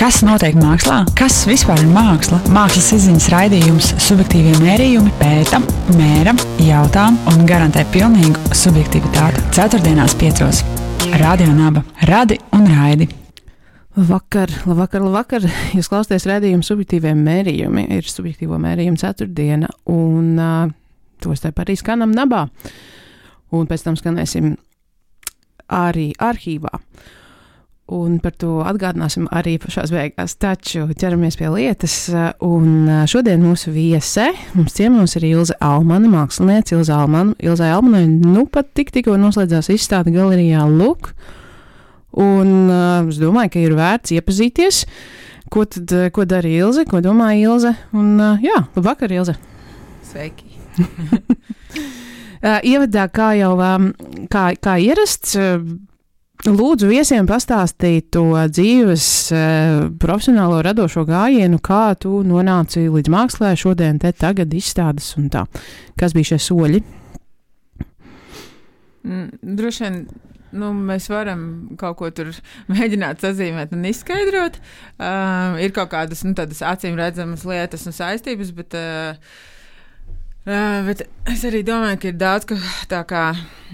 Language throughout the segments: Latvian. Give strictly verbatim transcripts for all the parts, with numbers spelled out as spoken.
Kas notiek mākslā? Kas vispār ir māksla? Mākslas izziņas raidījums Subjektīvie mērījumi pēta, mēra, jautā un garantē pilnīgu subjektivitāti. Ceturtdienās piecos. Radio Naba. Radi un raidi. Vakar, labvakar, labvakar. Jūs klausāties raidījumu Subjektīvie mērījumi. Ir subjektīvo mērījumu ceturtdiena un uh, tos te arī skanam Nabā. Un pēc tam skanēsim arī arhīvā. Un par to atgādināsim arī pašās beigās. Taču ķeramies pie lietas. Un šodien mūsu viese, mums ciemos ir Ilze Almane, māksliniece Ilze Almane. Ilzai Almanai nu pat tik tikko noslēdzās izstāde galerijā Luk. Un uh, es domāju, ka ir vērts iepazīties, ko tad, ko dara Ilze, ko domā Ilze. Un uh, jā, labvakar, Ilze. Sveiki. uh, ievadā, kā jau um, kā, kā ierasts, uh, lūdzu viesiem pastāstīt to dzīves uh, profesionālo radošo gājienu, kā tu nonāci līdz mākslē šodien, te tagad izstādes un tā. Kas bija šie soļi? Mm, droši vien, nu, mēs varam kaut ko tur mēģināt sazīmēt un izskaidrot. Uh, ir kaut kādas, nu, tādas acīm redzamas lietas un saistības, bet... Uh, Uh, bet es arī domāju, ka ir daudz, ka tā kā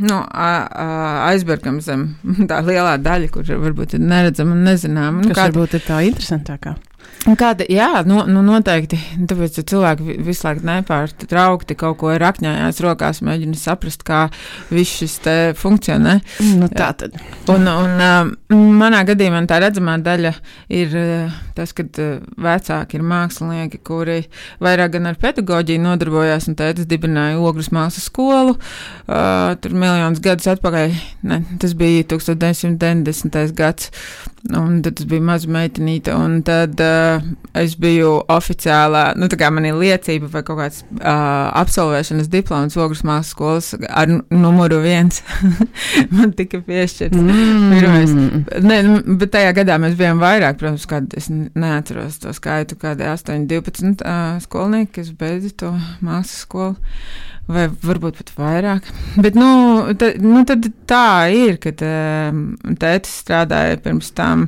nu, aizbergam zem tā lielā daļa, kur varbūt ir neredzama un nezinām. Kas kāda, varbūt ir tā interesantākā. Kāda, jā, nu, nu noteikti, tāpēc cilvēki visu laiku nepārtraukti kaut ko rakņājās rokās, mēģina saprast, kā viss šis te funkcionē. Nu tā tad. Un, un manā gadījumā tā redzamā daļa ir tas, kad vecāki ir mākslinieki, kuri vairāk gan ar pedagoģiju nodarbojās, un tētis dibināja Ogres mākslas skolu, uh, tur miljonus gadus atpakaļ, ne, tas bija deviņdesmit deviņdesmitais gads, un tad tas bija maza meitenīte, un tad uh, es biju oficiālā, nu tā kā man ir liecība vai kaut kāds uh, absolvēšanas diploms Ogres mākslas skolas ar numuru viens. Man tika piešķirts. Mm. Pirmais. Ne, bet tajā gadā mēs bijām vairāk, protams, kādi, es neatceros to skaitu, kādi astoņi, divpadsmit uh, skolnieki, kas beidza to mākslas skolu. Vai varbūt pat vairāk. Bet, nu, tad, nu tad tā ir, kad um, tētis strādāja pirms tam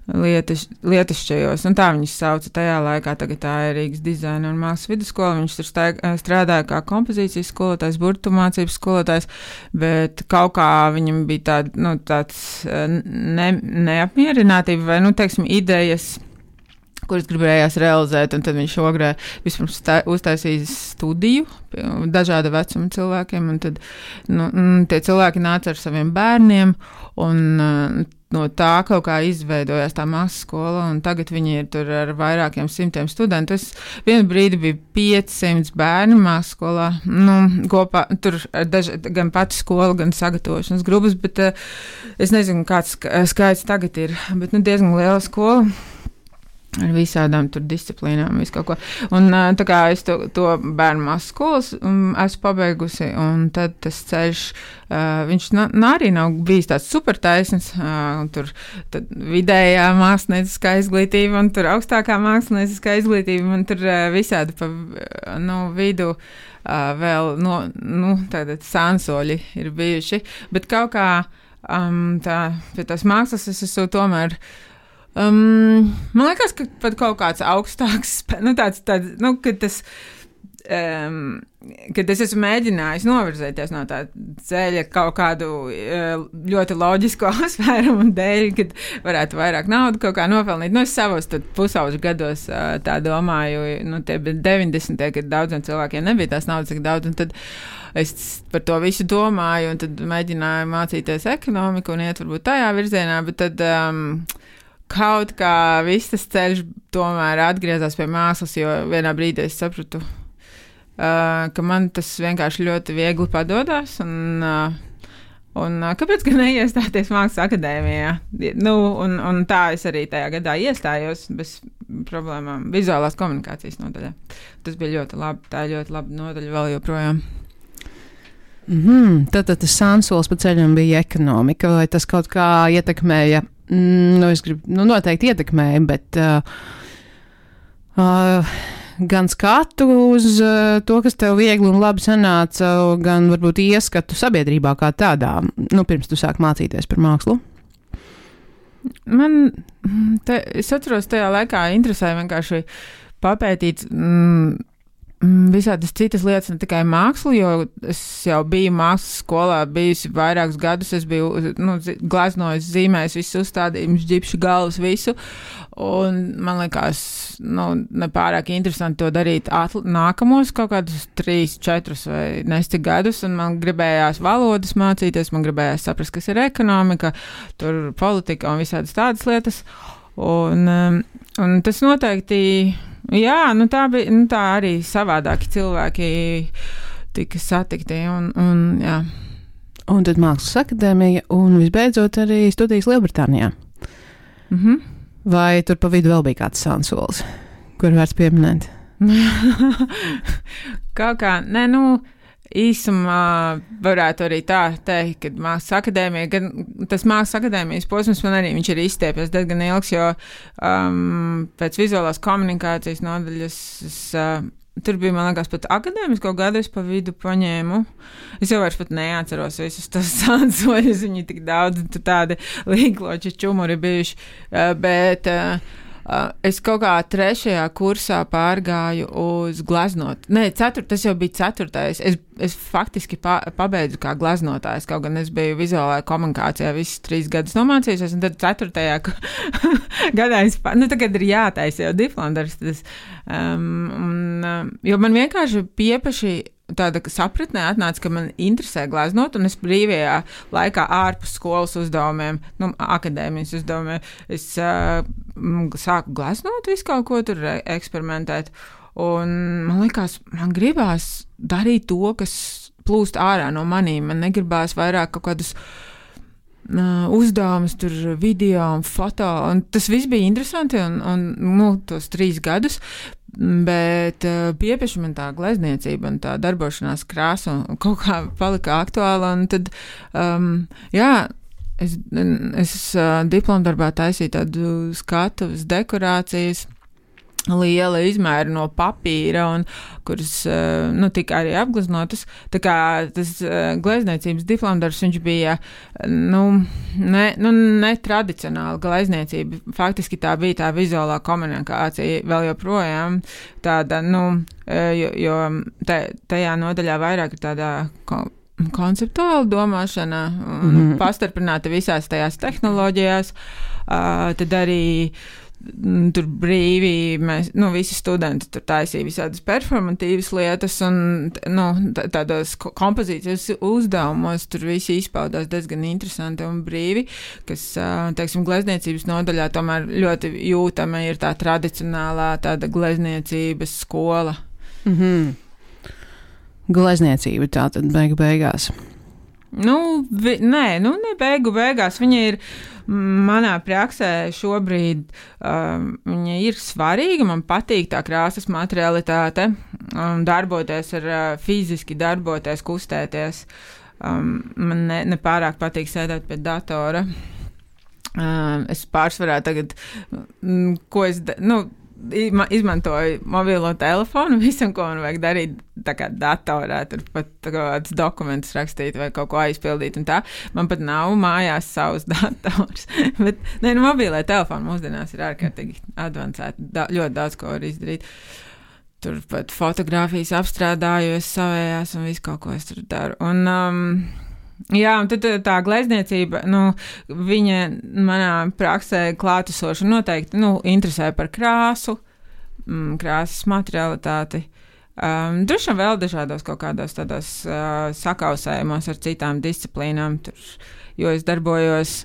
lietas, lietišķajos, un tā viņas sauca tajā laikā, tagad tā ir Rīgas dizaina un mākslas vidusskola, viņš tur staig, strādāja kā kompozīcijas skolotājs, burtu mācības skolotājs, bet kaut kā viņam bija tād, nu, tāds ne, neapmierinātība vai, nu, teiksim, idejas, kuras gribējās realizēt, un tad viņš Ogrē vispirms tā, uztaisīja studiju dažāda vecuma cilvēkiem, un tad nu, tie cilvēki nāca ar saviem bērniem, un no tā kaut kā izveidojās tā mākslas skola, un tagad viņi ir tur ar vairākiem simtiem studentu. Es vienu brīdi bija piecsimt bērni mākslas skolā, nu, kopā, tur daž, gan pati skola, gan sagatavošanas grupas, bet uh, es nezinu, kāds skaits tagad ir, bet nu, diezgan liela skola. Ar visādām tur disciplīnām, visu kaut ko. Un tā kā es to, to bērnu mākslas skolas um, esmu pabeigusi, un tad tas ceļš, uh, viņš na, na, arī nav bijis tāds super taisns, uh, tur tad vidējā mākslinieciskā izglītība, un tur augstākā mākslinieciskā izglītība, un tur uh, visādi pa nu, vidu uh, vēl no, nu, tātad sānsoļi ir bijuši, bet kaut kā um, tā, pie tās mākslas es esmu tomēr Um, man liekas, ka pat kaut kāds augstāks, nu tāds, tāds, nu, kad tas, um, kad es esmu mēģinājis novirzēties no tā ceļa kaut kādu uh, ļoti loģisku apsvērumu dēļ, kad varētu vairāk naudu kaut kā nopelnīt. Nu, es savos tad pusauģu gados uh, tā domāju, nu, tie bija deviņdesmitie, kad daudziem cilvēkiem nebija tās naudas tik daudz, un tad es par to visu domāju, un tad mēģināju mācīties ekonomiku un iet varbūt tajā virzienā, bet tad... Um, Kaut kā viss tas ceļš tomēr atgriezās pie mākslas, jo vienā brīdī es sapratu, uh, ka man tas vienkārši ļoti viegli padodas, un, uh, un uh, kāpēc gan neiestāties mākslas akadēmijā? Nu, un, un tā es arī tajā gadā iestājos bez problēmām vizuālās komunikācijas nodaļā. Tas bija ļoti labi, tā ir ļoti laba nodaļa vēl joprojām. Mm-hmm. Tātad tas sānsols pa ceļam bija ekonomika, vai tas kaut kā ietekmēja? Nu, es gribu, nu, noteikti ietekmēja, bet uh, uh, gan skatu uz uh, to, kas tev viegli un labi sanāca, gan varbūt ieskatu sabiedrībā kā tādā, nu, pirms tu sāk mācīties par mākslu. Man, te, es atceros, tajā laikā interesēja vienkārši papētīt mm, visādas citas lietas, ne tikai mākslu, jo es jau biju mākslas skolā, bijusi vairākus gadus, es biju, nu, glaznojis, zīmējis visus uzstādījumus, ģipšu galvas, visu, un man liekas, nu, nepārāk interesanti to darīt atl- nākamos kaut kādus trīs, četrus vai nestik gadus, un man gribējās valodas mācīties, man gribējās saprast, kas ir ekonomika, tur politika un visādas tādas lietas, un, un tas noteikti jā, nu tā bija, nu tā arī savādāki cilvēki tika satikti, un, un jā. Un tad Mākslas akadēmija, un visbeidzot arī studijas Lielbritānijā. Mhm. Vai tur pa vidu vēl bija kāds sansolis, kur vērts pieminēt? Kaut kā, ne, nu, īsumā varētu arī tā teikt, ka Mākslas akadēmija, gan tas Mākslas akadēmijas posms man arī viņš ir izstiepies diezgan ilgs, jo um, pēc vizuālās komunikācijas nodaļas es, uh, tur bija, man liekas, pat akadēmisko gadu es pa vidu paņēmu. Es jau vairs pat neatceros visus tos sansoļus, viņi tik daudz, tur tādi līgloči čumuri bijuši, uh, bet uh, Uh, es kaut kā trešajā kursā pārgāju uz glaznot. Nē, ceturt, tas jau bija ceturtais. Es, es faktiski pa, pabeidzu kā glaznotājs, kaut gan es biju vizuālajā komunikācijā visas trīs gadus nomācījusies, un tad ceturtajā gadā es, nu tagad ir jātaisa jau diplomdarbs, tas, um, un, jo man vienkārši piepaši tāda sapratnē atnāca, ka man interesē glaznot, un es brīvajā laikā ārpus skolas uzdevumiem, nu, akadēmijas uzdevumiem, es uh, sāku glaznot visu kaut ko tur eksperimentēt, un man likās, man gribās darīt to, kas plūst ārā no manīm, man negribās vairāk kaut kādus uh, uzdevumus tur video un foto, un tas viss bija interesanti, un, un nu, tos trīs gadus, bet uh, piepeši man tā glezniecība un tā darbošanās krāsa un kaut kā palika aktuāla, un tad, um, jā, es, es uh, diplomdarbā taisīju tādu skatuves dekorācijas, liela izmēra no papīra, un kuras, uh, nu, tika arī apgleznotas. Tā kā tas uh, glezniecības diplomdarbs, viņš bija, nu, ne, nu, netradicionāla glezniecība. Faktiski tā bija tā vizuālā komunikācija vēl joprojām tāda, nu, jo, jo tajā nodaļā vairāk ir tādā ko, konceptuāla domāšana, mm-hmm. pastarpināta visās tajās tehnoloģijās, uh, tad arī tur brīvi, mēs, nu, visi studenti tur taisīja visādas performatīvas lietas, un, nu, tādos kompozīcijas uzdevumos tur visi izpaudās diezgan interesanti un brīvi, kas, teiksim, glezniecības nodaļā tomēr ļoti jūtama ir tā tradicionālā tāda glezniecības skola. Mhm. Glezniecība tātad beigu beigās. Nu, vi, nē, nu, ne beigu beigās. Viņa ir manā praksē šobrīd, um, viņa ir svarīga, man patīk tā krāsas materialitāte, um, darboties ar, uh, fiziski darboties, kustēties. Um, man ne, nepārāk patīk sēdēt pie datora. Um, es pārsvarā tagad, mm, ko es, da, nu, izmantoju mobilo telefonu, visam, ko man vajag darīt, tā kā datorā, tur pat kādus dokumentus rakstīt vai kaut ko aizpildīt un tā. Man pat nav mājās savs dators. Bet, ne, nu, mobilē telefonu mūsdienās ir ārkārtīgi advancēti, da, ļoti daudz ko var izdarīt. Tur pat fotogrāfijas apstrādājos savējās un visu kaut ko es tur daru. Un, um, jā, un tad tā glezniecība, nu, viņa manā praksē klātesoša noteikti, nu, interesē par krāsu, mm, krāsas materialitāti. Um, droši vien vēl dažādos kaut kādos tādos uh, sakausējumos ar citām disciplīnām, tur, jo es darbojos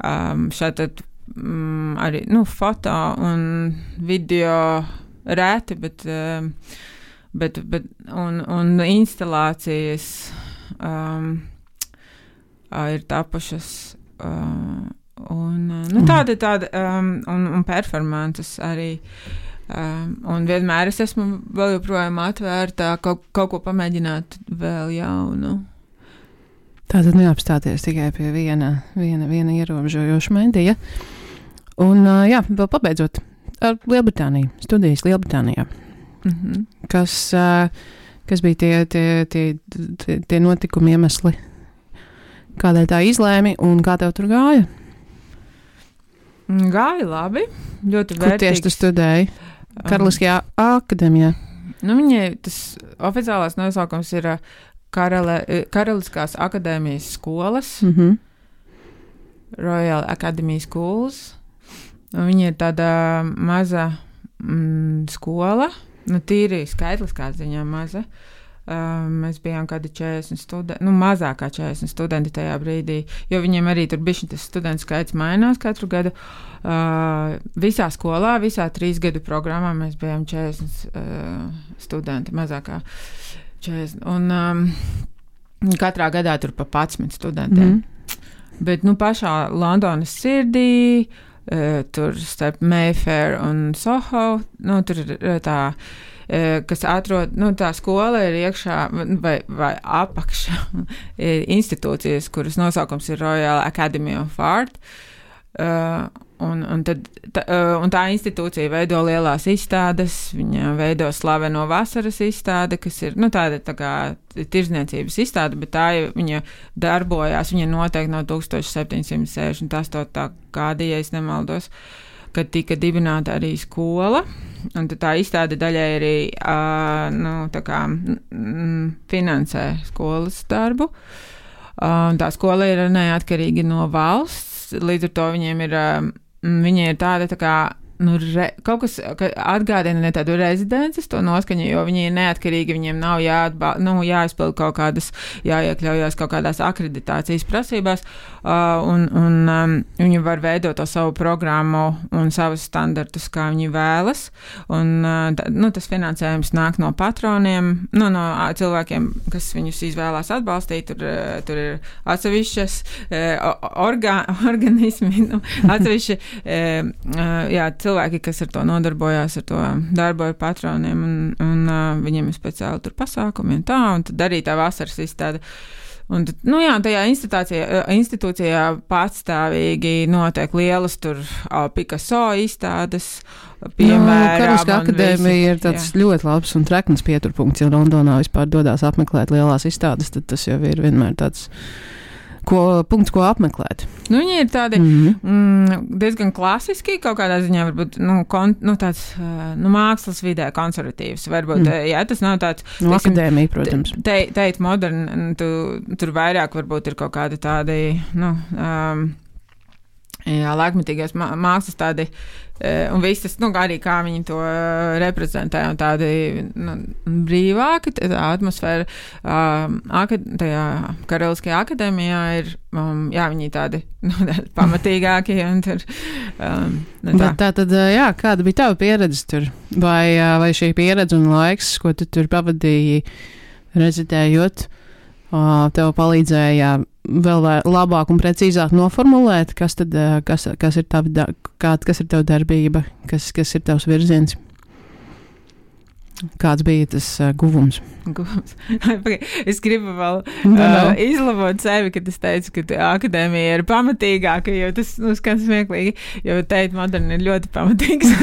um, šeit um, arī, nu, foto un video rēti, bet, um, bet, bet un, un instalācijas um, ir tapušas, uh, un, nu, tāda, tāda, um, un, un performances arī, um, un vienmēr es esmu vēl joprojām atvērtā kaut, kaut ko pamēģināt vēl jaunu. Tātad neapstāties tikai pie viena, viena, viena ierobežojoša medija. Un, uh, jā, vēl pabeidzot ar Lielbritāniju, studijas Lielbritānijā. Mm-hmm. Kas, uh, kas bija tie, tie, tie, tie, tie notikumi iemesli? Kādēļ tā izlēmi un kā tev tur gāja? Gāja labi, ļoti vērtīgs. Kur tieši tu studēji? Karaliskajā akadēmijā? Nu, viņai tas oficiālās nosaukums ir Karale, Karaliskās akadēmijas skolas, Mhm. Royal Academy Schools. Viņa ir tāda maza mm, skola, nu, tīri skaitliskā ziņā maza. Uh, mēs bijām kādi četrdesmit studenti, nu, mazākā četrdesmit studenti tajā brīdī, jo viņiem arī tur bišķi tas studentu skaits mainās katru gadu. Uh, visā skolā, visā trīs gadu programmā mēs bijām četrdesmit uh, studenti, mazākā četrdesmit. Un um, katrā gadā tur pa padsmit studentiem. Mm. Bet, nu, pašā Londonas sirdī, uh, tur starp Mayfair un Soho, nu, tur ir tā, kas atrod, nu, tā skola ir iekšā vai, vai apakšā institūcijas, kuras nosaukums ir Royal Academy of Art. Uh, un, un, tad, tā, uh, un tā institūcija veido lielās izstādes, viņa veido slaveno vasaras izstāde, kas ir, nu, tāda tā kā tirzniecības izstāde, bet tā viņa darbojās, viņa noteikti no septiņdesmit sešdesmit astotā gada, ja es nemaldos, kad tika dibināta arī skola, un tā izstāde daļai arī uh, nu, tā kā, mm, finansē skolas darbu. Uh, tā skola ir neatkarīga no valsts, līdz ar to viņiem ir, uh, viņi ir tāda tā kā, nu, re, kaut kas atgādina ne tādu rezidences to noskaņu, jo viņi ir neatkarīgi, viņiem nav jāatbā, nu, jāizpild kaut kādas, jāiekļaujās kaut kādās akreditācijas prasībās, uh, un, un um, viņi var veidot to savu programmu un savus standartus, kā viņi vēlas, un uh, tā, nu, tas finansējums nāk no patroniem, nu, no cilvēkiem, kas viņus izvēlās atbalstīt, tur, uh, tur ir atsevišķas uh, orga, organismi, nu, atsevišķi, uh, uh, jā, cilvēki, kas ar to nodarbojās, ar to darbu ar patroniem, un, un uh, viņiem ir speciāli tur pasākumi un tā, un tad arī tā vasaras izstāde. Un, nu jā, tajā institūcijā, institūcijā patstāvīgi notiek lielas tur uh, Picasso izstādes, piemēram. No, Karaliskā akadēmija ir tāds jā. ļoti labs un trekns pieturpunkts, ja Londonā vispār dodās apmeklēt lielās izstādes, tad tas jau ir vienmēr tāds Ko, punkts, ko apmeklēt. Nu, viņi ir tādi mm-hmm. mm, diezgan klasiski, kaut kādā ziņā varbūt nu, kon, nu, tāds nu, mākslas vidē konservatīvs. Varbūt, mm. jā, tas nav tāds... No akadēmija, protams. Te, teikt modern, tu, tur vairāk varbūt ir kaut kādi tādi, nu, um, jā, laikmetīgās mākslas tādi, un viss tas, nu, arī kā viņi to reprezentē, un tādi nu, brīvāki, tā atmosfēra um, akad, tajā Karaliskajā akadēmijā ir, um, jā, viņi tādi nu, pamatīgāki, un tur, um, nu, tā. Tā tad, jā, kāda bija tava pieredze tur? Vai, vai šī pieredze un laiks, ko tu tur pavadīji rezidējot, tev palīdzēja vēl labāk un precīzāk noformulēt, kas tad, kas, kas ir tavi, kā, kas ir tava darbība, kas, kas ir tavs virziens? Kāds bija tas uh, guvums? Guvums. Es gribu vēl uh, izlabot sevi, kad es teicu, ka akadēmija ir pamatīgāka, jo tas, nu, skan smieklīgi, jo teikt moderni ir ļoti pamatīgs.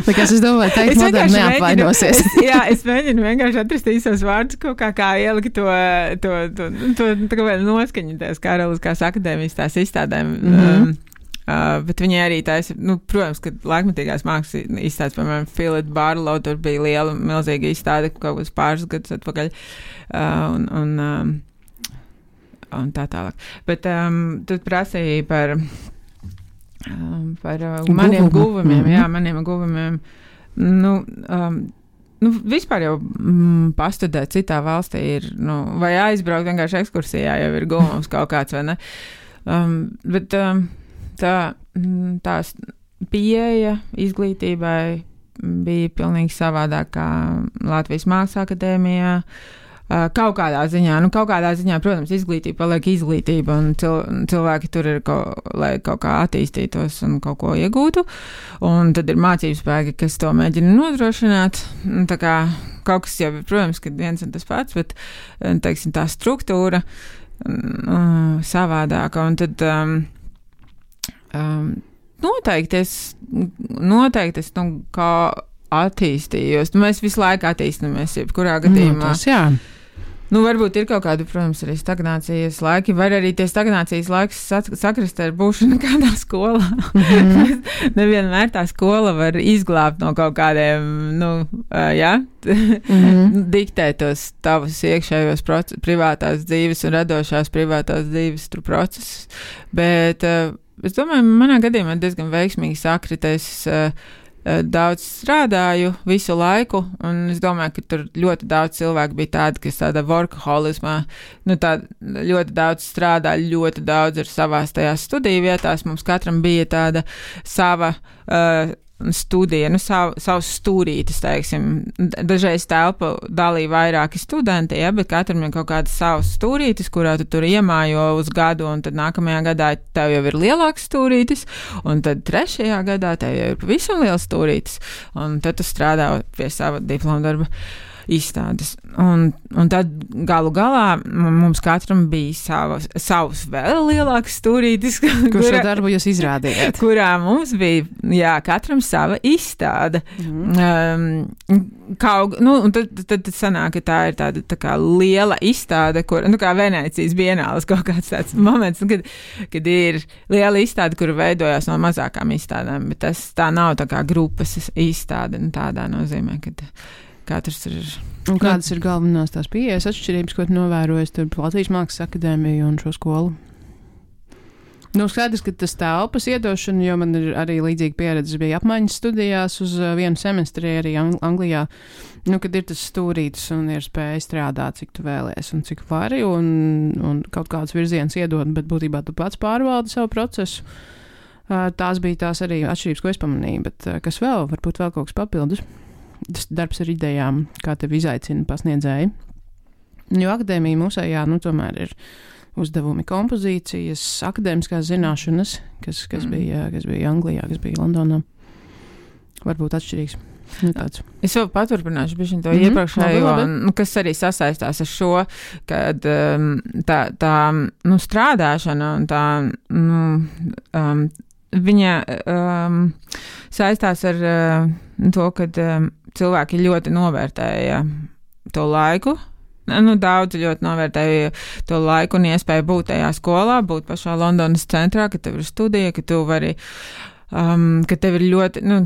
Tāpēc es domāju, teikt moderni neapvainosies. Es, jā, es mēģinu vienkārši atrast īsos vārdus, kaut kā, kā ielikt to, to, to, to, to, to noskaņu tās Karaliskās akadēmijas tās izstādēm. Mm-hmm. Um, Uh, bet viņi arī taisa, nu, protams, ka laikmetīgās mākslas izstādes, piemēram, Philip Barlow, tur bija liela, milzīga izstāde kaut kāds pāris gadus atpakaļ, uh, un, un, um, un tā tālāk. Bet um, tu prasīji par, um, par uh, maniem guvumiem, mm-hmm. jā, maniem guvumiem, nu, um, nu, vispār jau mm, pastudēt citā valstī ir, nu, vai aizbraukt vienkārši ekskursijā jau ir guvums kaut kāds, vai ne? Um, bet, um, Tā, tās pieeja izglītībai bija pilnīgi savādāk kā Latvijas Mākslas akadēmijā. Kaut kādā ziņā, nu kaut kādā ziņā, protams, izglītība paliek izglītība un cil, cilvēki tur ir, kaut, lai kaut kā attīstītos un kaut ko iegūtu. Un tad ir mācības spēki, kas to mēģina nodrošināt. Tā kā kaut kas jau, protams, kad viens un tas pats, bet, teiksim, tā struktūra um, savādāka. Un tad... Um, Um, noteikti es, noteikti es, nu, kā attīstījos. Nu, mēs visu laiku attīstamies, jebkurā gadījumā. Nu, tas, jā. Nu, varbūt ir kaut kāda, protams, arī stagnācijas laiki, vai arī tie stagnācijas laiks sakrist ar būšanu kādā skolā. Mm-hmm. Nevienmēr tā skola var izglābt no kaut kādiem, nu, uh, jā, mm-hmm. diktēt tos tavus iekšējos proces, privātās dzīves un radošās privātās dzīves tur procesus. Bet uh, es domāju, manā gadījumā diezgan veiksmīgi sakritais. Uh, Daudz strādāju visu laiku, un es domāju, ka tur ļoti daudz cilvēku bija tādi, kas tāda workaholismā, nu tā ļoti daudz strādā, ļoti daudz ir savās tajās studiju vietās. Mums katram bija tāda sava uh, studija, nu sav, savs stūrītis, teiksim. Dažreiz telpu dalīja vairāki studenti, ja, bet katram ir kaut kāds savs stūrītis, kurā tu tur iemājo uz gadu, un tad nākamajā gadā tev jau ir lielāks stūrītis, un tad trešajā gadā tev jau ir pavisam liels stūrītis, un tad tu strādā pie sava diploma darba izstādes. Un, un tad galu galā mums katram bija savs, savs vēl lielāks stūrītis, kur šo darbu jūs izrādījāt. Kurā mums bija, jā, katram sava izstāde. Mm. Um, kaut, nu, un tad, tad, tad sanāk, ka tā ir tāda tā kā liela izstāde, kur, nu, kā Venēcijas bienāles kaut kāds tāds moments, kad, kad ir liela izstāde, kura veidojās no mazākām izstādēm, bet tas tā nav tā kā grupas izstāde, nu, tādā nozīmē, kad katrs ir. Un kādas ir galvenās tās pieejas atšķirības, ko tu novērojies tur Latvijas Mākslas akadēmiju un šo skolu? Nu, skaidrs, ka tas telpas iedošana, jo man ir arī līdzīga pieredze, bija apmaiņas studijās uz vienu semestri arī Anglijā, nu, kad ir tas stūrītis un ir spēja strādāt, cik tu vēlies un cik vari, un, un kaut kāds virziens iedod, bet būtībā tu pats pārvaldi savu procesu. Tās bija tās arī atšķirības, ko es pamanīju, bet kas vēl, varbūt vēl kaut kas papildus. Tas darbs ar idejām, kā tevi izaicina pasniedzēji. Jo akadēmija mūsējā, nu, tomēr ir uzdevumi kompozīcijas, akadēmiskās zināšanas, kas, kas, mm. bija, kas bija Anglijā, kas bija Londonā. Varbūt atšķirīgs. Nu, tāds. Es vēl paturpināšu bišķiņ to mm-hmm. iepriekšējo, nu, kas arī sasaistās ar šo, kad um, tā, tā nu, strādāšana un tā, nu, um, viņa um, saistās ar uh, to, kad um, cilvēki ļoti novērtēja to laiku. Nu, daudz ļoti novērtēja to laiku un iespēju būt tajā skolā, būt pašā Londonas centrā, ka tev ir studija, ka tu vari, um, ka tev ir ļoti, nu,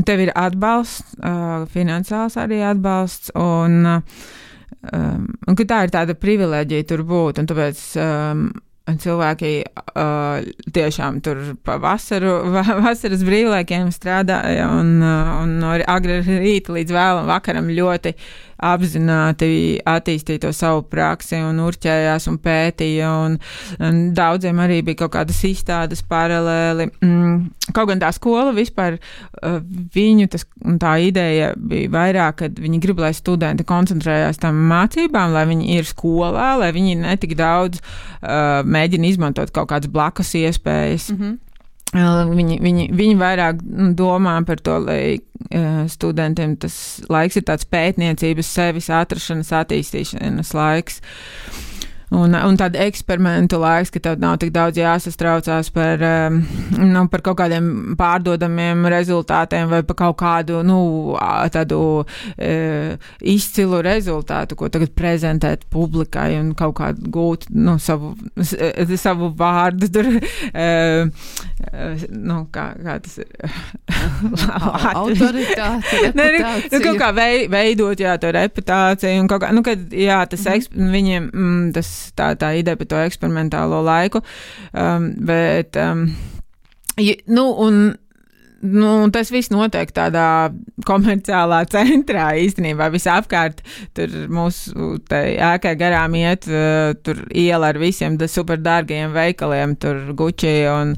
tev ir atbalsts, uh, finansiāls arī atbalsts, un, um, un ka tā ir tāda privileģija tur būt, un tāpēc um, cilvēki uh, tiešām tur pa vasaru, va, vasaras brīvlaikiem strādāja un, uh, un no agri rīta līdz vēlam vakaram ļoti apzināti attīstīja to savu praksi un urķējās un pētīja, un, un daudziem arī bija kaut kādas izstādes paralēli. Mm, kaut gan tā skola vispār, uh, viņu tas, tā ideja bija vairāk, kad viņi grib, lai studenti koncentrējās tam mācībām, lai viņi ir skolā, lai viņi netik daudz uh, mēģina izmantot kaut kādas blakus iespējas. Mm-hmm. Viņi, viņi, viņi vairāk domā par to, lai uh, studentiem tas laiks ir tāds pētniecības, sevis atrašanas, attīstīšanas laiks. Un, un tāda eksperimentu laiks, ka tev nav tik daudz jāsastraucās par, um, nu, par kaut kādiem pārdodamiem rezultātiem vai par kaut kādu, nu, tādu uh, izcilu rezultātu, ko tagad prezentēt publikai un kaut kādu gūt, nu, savu, savu vārdu tur, uh, uh, nu, kā, kā tas ir? Autoritāte, reputācija. Nu, kaut kā vei, veidot, jā, to reputāciju un kaut kā, nu, kad, jā, tas, mm. eksp, viņiem, mm, tas tā, tā ideja par to eksperimentālo laiku, um, bet, um, ja, nu, un, nu, tas viss notiek tādā komerciālā centrā īstenībā visapkārt, tur mūsu ēkai garām iet, uh, tur iela ar visiem super dārgajiem veikaliem, tur Gucci un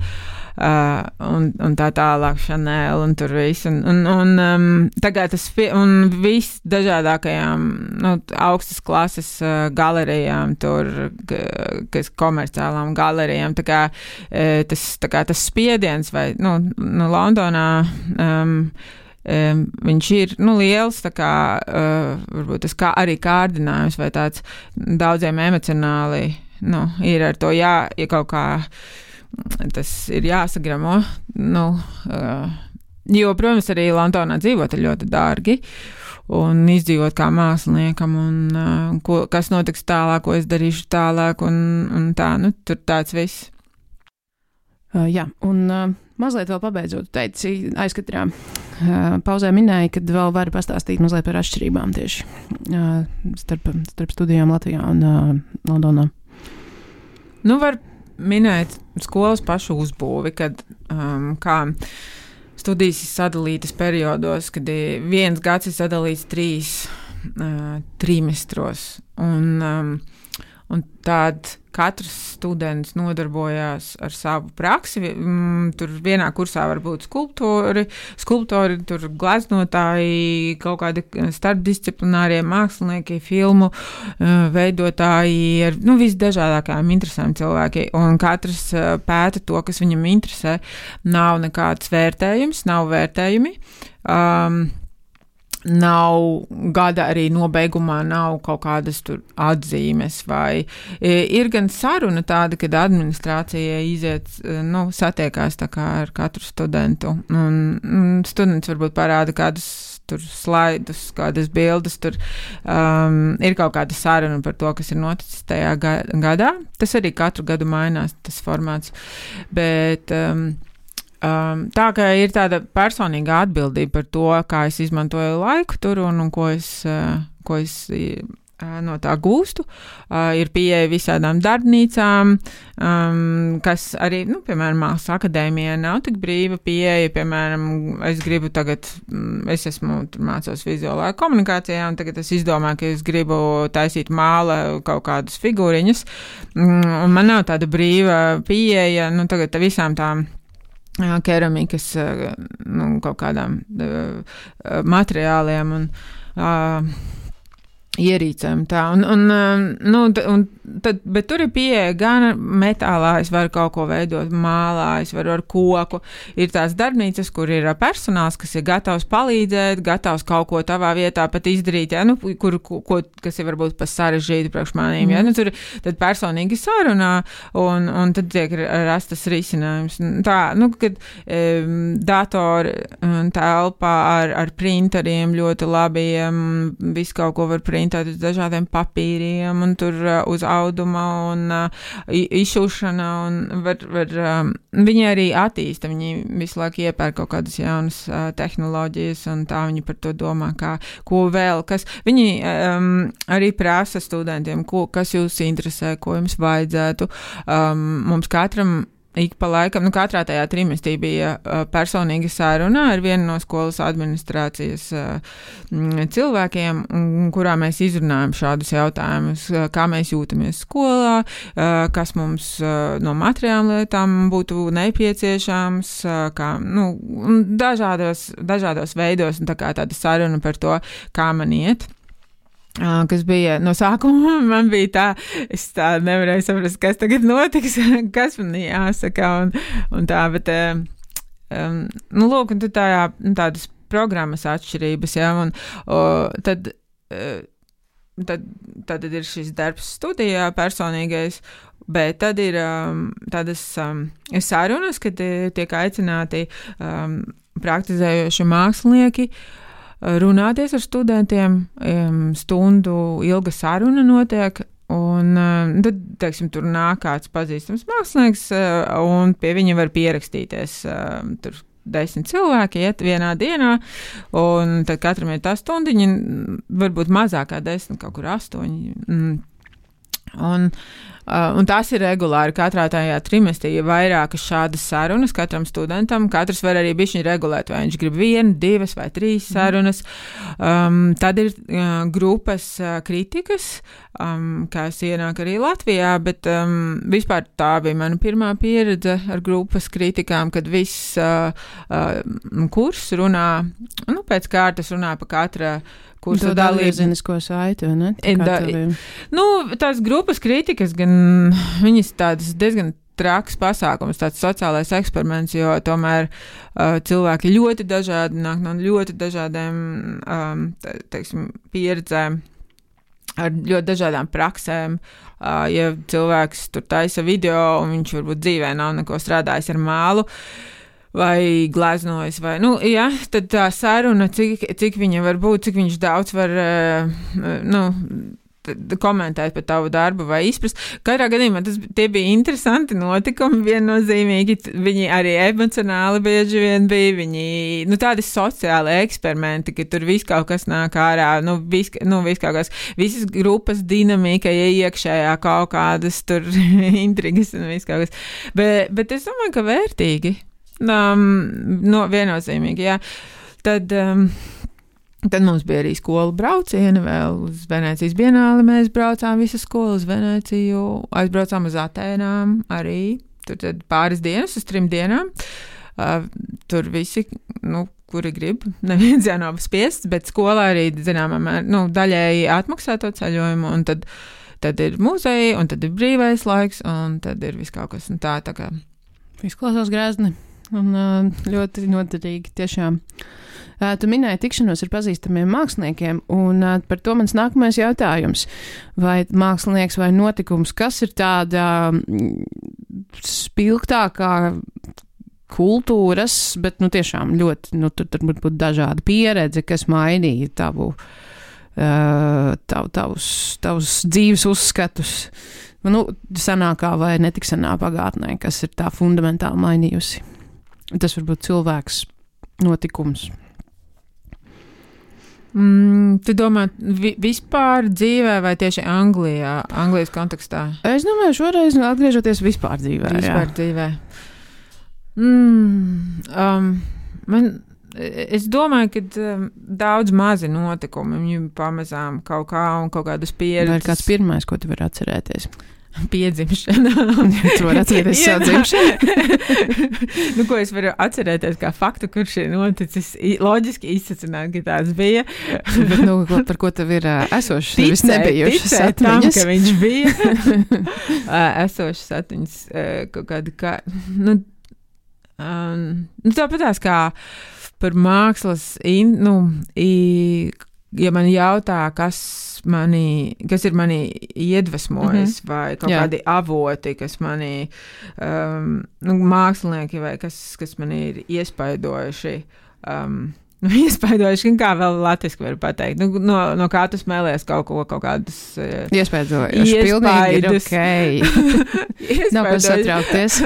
Uh, un, un tā tālāk Chanel un tur viss. Un, un, un um, tagad tas, un viss dažādākajām, nu, augstas klases uh, galerijām tur, kas komerciālām galerijām, tā kā, uh, tas, tā kā tas spiediens vai, nu, nu Londonā, um, um, viņš ir, nu, liels, tā kā, uh, varbūt tas kā arī kārdinājums vai tāds daudziem emocionāli, nu, ir ar to jā, ja kaut kā tas ir jāsagramo, nu, uh, jo, protams, arī Londonā dzīvot ir ļoti dārgi, un izdzīvot kā māksliniekam, un uh, ko, kas notiks tālāk, ko es darīšu tālāk, un, un tā, nu, tur tāds viss. Uh, jā, un uh, mazliet vēl pabeidzot, teici, aizkatrā uh, pauzē minēja, kad vēl vari pastāstīt mazliet par atšķirībām tieši uh, starp, starp studijām Latvijā un uh, Londonā. Nu, var minēt skolas pašu uzbūvi, kad um, kā studijas ir sadalītas periodos, kad viens gads ir sadalīts trīs uh, trimestros, un, um, un tād katrs students nodarbojās ar savu praksi. Mm, tur vienā kursā var būt skulptori, skulptori, tur gleznotāji, kaut kādi starpdisciplinārie mākslinieki, filmu uh, veidotāji, ar nu, visdažādākajām interesēm cilvēki. Un katrs uh, pēta to, kas viņam interesē. Nav nekāds vērtējums, nav vērtējumi. Um, Nav gada arī nobeigumā, nav kaut kādas tur atzīmes, vai ir gan saruna tāda, kad administrācija iziet, nu, satiekās tā kā ar katru studentu, un, un students varbūt parāda kādus tur slaidus, kādas bildes, tur um, ir kaut kāda saruna par to, kas ir noticis tajā ga- gadā. Tas arī katru gadu mainās, tas formāts, bet um, Um, tā kā ir tāda personīga atbildība par to, kā es izmantoju laiku tur un, un ko es, uh, ko es uh, no tā gūstu. Uh, ir pieeja visādām darbnīcām, um, kas arī, nu, piemēram, Mākslas akadēmijā nav tik brīva pieeja. Piemēram, es gribu tagad, es esmu tur mācos vizuālā komunikācijā, un tagad es izdomāju, ka es gribu taisīt māla kaut kādas figūriņas, un man nav tāda brīva pieeja, nu, tagad visām tām keramikas, nu, kaut kādām uh, materiāliem un uh, ierīcēm tā, un, un, nu, un tad, bet tur ir pieeja gan metālā, es varu kaut ko veidot mālā, es varu ar koku, ir tās darbnīcas, kur ir personāls, kas ir gatavs palīdzēt, gatavs kaut ko tavā vietā pat izdarīt, ja, nu, kur, ko, kas ir varbūt pa sarežģīti priekš manīm, ja, nu, tur tad personīgi sarunā, un, un tad tiek rastas risinājums. Tā, nu, kad um, datori un telpā ar, ar printeriem ļoti labiem, visu kaut ko var printēt, uz dažādiem papīriem, un tur uh, uz auduma un uh, izšūšana, un var, var, um, viņi arī attīsta, viņi visu laiku iepērk kaut kādas jaunas uh, tehnoloģijas, un tā viņi par to domā, kā, ko vēl, kas, viņi um, arī prasa studentiem, ko, kas jūs interesē, ko jums vajadzētu. Um, mums katram ik pa laikam, nu katrā tajā trimestī bija uh, personīga saruna ar vienu no skolas administrācijas uh, cilvēkiem, un, kurā mēs izrunājam šādus jautājumus, uh, kā mēs jūtamies skolā, uh, kas mums uh, no materiālām lietām būtu nepieciešams, uh, kā, nu, dažādos, dažādos veidos, un tā kā tāda saruna par to, kā man iet. Uh, kas bija no sākuma, man bija tā, es tā nevarēju saprast, kas tagad notiks, kas man jāsaka, un, un tā, bet, um, nu, lūk, un tad tā, jā, tādas programmas atšķirības, jā, un o, tad, uh, tad, tad ir šis darbs studijā personīgais, bet tad ir um, tādas um, sarunas, kad tiek aicināti um, praktizējoši mākslinieki runāties ar studentiem, stundu ilga saruna notiek, un tad, teiksim, tur nāk kāds pazīstams mākslinieks, un pie viņa var pierakstīties tur desmit cilvēki, iet vienā dienā, un tad katram ir tā stundiņa, varbūt mazākā desmit, kaut kur astoņi. Un, uh, un tas ir regulāri. Katrā tajā trimestī ir vairākas šādas sarunas katram studentam. Katrs var arī bišķiņ regulēt, vai viņš grib vienu, divas vai trīs sarunas. Um, tad ir uh, grupas uh, kritikas, um, kas ienāk arī Latvijā, bet um, vispār tā bija mana pirmā pieredze ar grupas kritikām, kad viss uh, uh, kurs runā, nu, pēc kārtas runā pa katra kursa dalībnieko saiti, vai ne? Da, nu, tās grupas kritikas, gan viņas tādas diezgan traks pasākums, tāds sociālais eksperiments, jo tomēr uh, cilvēki ļoti dažādi, nāk no ļoti dažādiem, um, te, teiksim, pieredzēm, ar ļoti dažādām praksēm. Uh, ja cilvēks tur taisa video, un viņš varbūt dzīvē nav neko strādājis ar mālu, vai gleznojas, vai, nu, jā, tad tā saruna, cik, cik viņa var būt, cik viņš daudz var, nu, komentēt par tavu darbu vai izprast. Katrā gadījumā tas, tie bija interesanti notikumi, viennozīmīgi, viņi arī emocionāli bieži vien bija, viņi, nu, tādi sociāli eksperimenti, ka tur viss kaut kas nāk ārā, nu, vis, nu, vis kaut kas, visas grupas dinamika, ja iekšējā kaut kādas tur intrigas un viss kaut kas. Bet, bet es domāju, ka vērtīgi. Um, no, viennozīmīgi, jā. Tad, um, tad mums bija arī skolu braucieni vēl uz Venēcijas bienāli. Mēs braucām visu skolu uz Venēciju, aizbraucām uz Atēnām arī. Tur tad pāris dienas, uz trim dienām. Uh, tur visi, nu, kuri grib, neviens jau nav spiests, bet skolā arī, zināmā mērā, nu, daļēji atmaksā to ceļojumu, un tad, tad ir muzeji, un tad ir brīvais laiks, un tad ir viss kaut kas, un tā, tā kā. Izklausās grezni. Un ļoti noderīgi tiešām. Tu minēji tikšanos ar pazīstamiem māksliniekiem, un par to mans nākamais jautājums. Vai mākslinieks vai notikums, kas ir tāda spilgtākā kultūras, bet nu tiešām ļoti, nu tur tur būt dažāda pieredze, kas mainīja tavu, tav, tavus, tavus dzīves uzskatus, nu, senākā vai netik senā pagātnē, kas ir tā fundamentāli mainījusi. Tas var būt cilvēks, notikums. Mm, tu domā, vi, vispār dzīvē vai tieši Anglijā, Anglijas kontekstā? Es domāju, šoreiz atgriežoties vispār dzīvē. Vispār jā. dzīvē. Mm, um, man, es domāju, ka um, daudz mazi notikumi, viņi pamazām kaut kā un kaut kādas pieredzes. Vai ir kāds pirmais, ko tu vari atcerēties? Piedzimšana. Tu vari atcerēties savu dzimšanu? Nu, ko es varu atcerēties kā faktu, kurš ir noticis, loģiski izsacināt, ka tāds bija. Bet, nu, ko, par ko tev ir uh, esošas, nevis nebijušas atmiņas? Tam, ka viņš bija. uh, esošas atmiņas uh, kaut kāda kā, nu, um, nu tāpatās kā par mākslas, in, nu, i, ja man jautā, kas mani, kas ir mani iedvesmojis, mm-hmm. vai kaut Jā. kādi avoti, kas mani, um, nu, mākslinieki, vai kas, kas mani ir iespaidojuši, um, nu, iespaidojuši, kā vēl latviski var pateikt, nu, no, no kā tu smēlies kaut ko, kaut kādas uh, iespaidojuši, pilnīgi ir ok. Nav ko satraukties.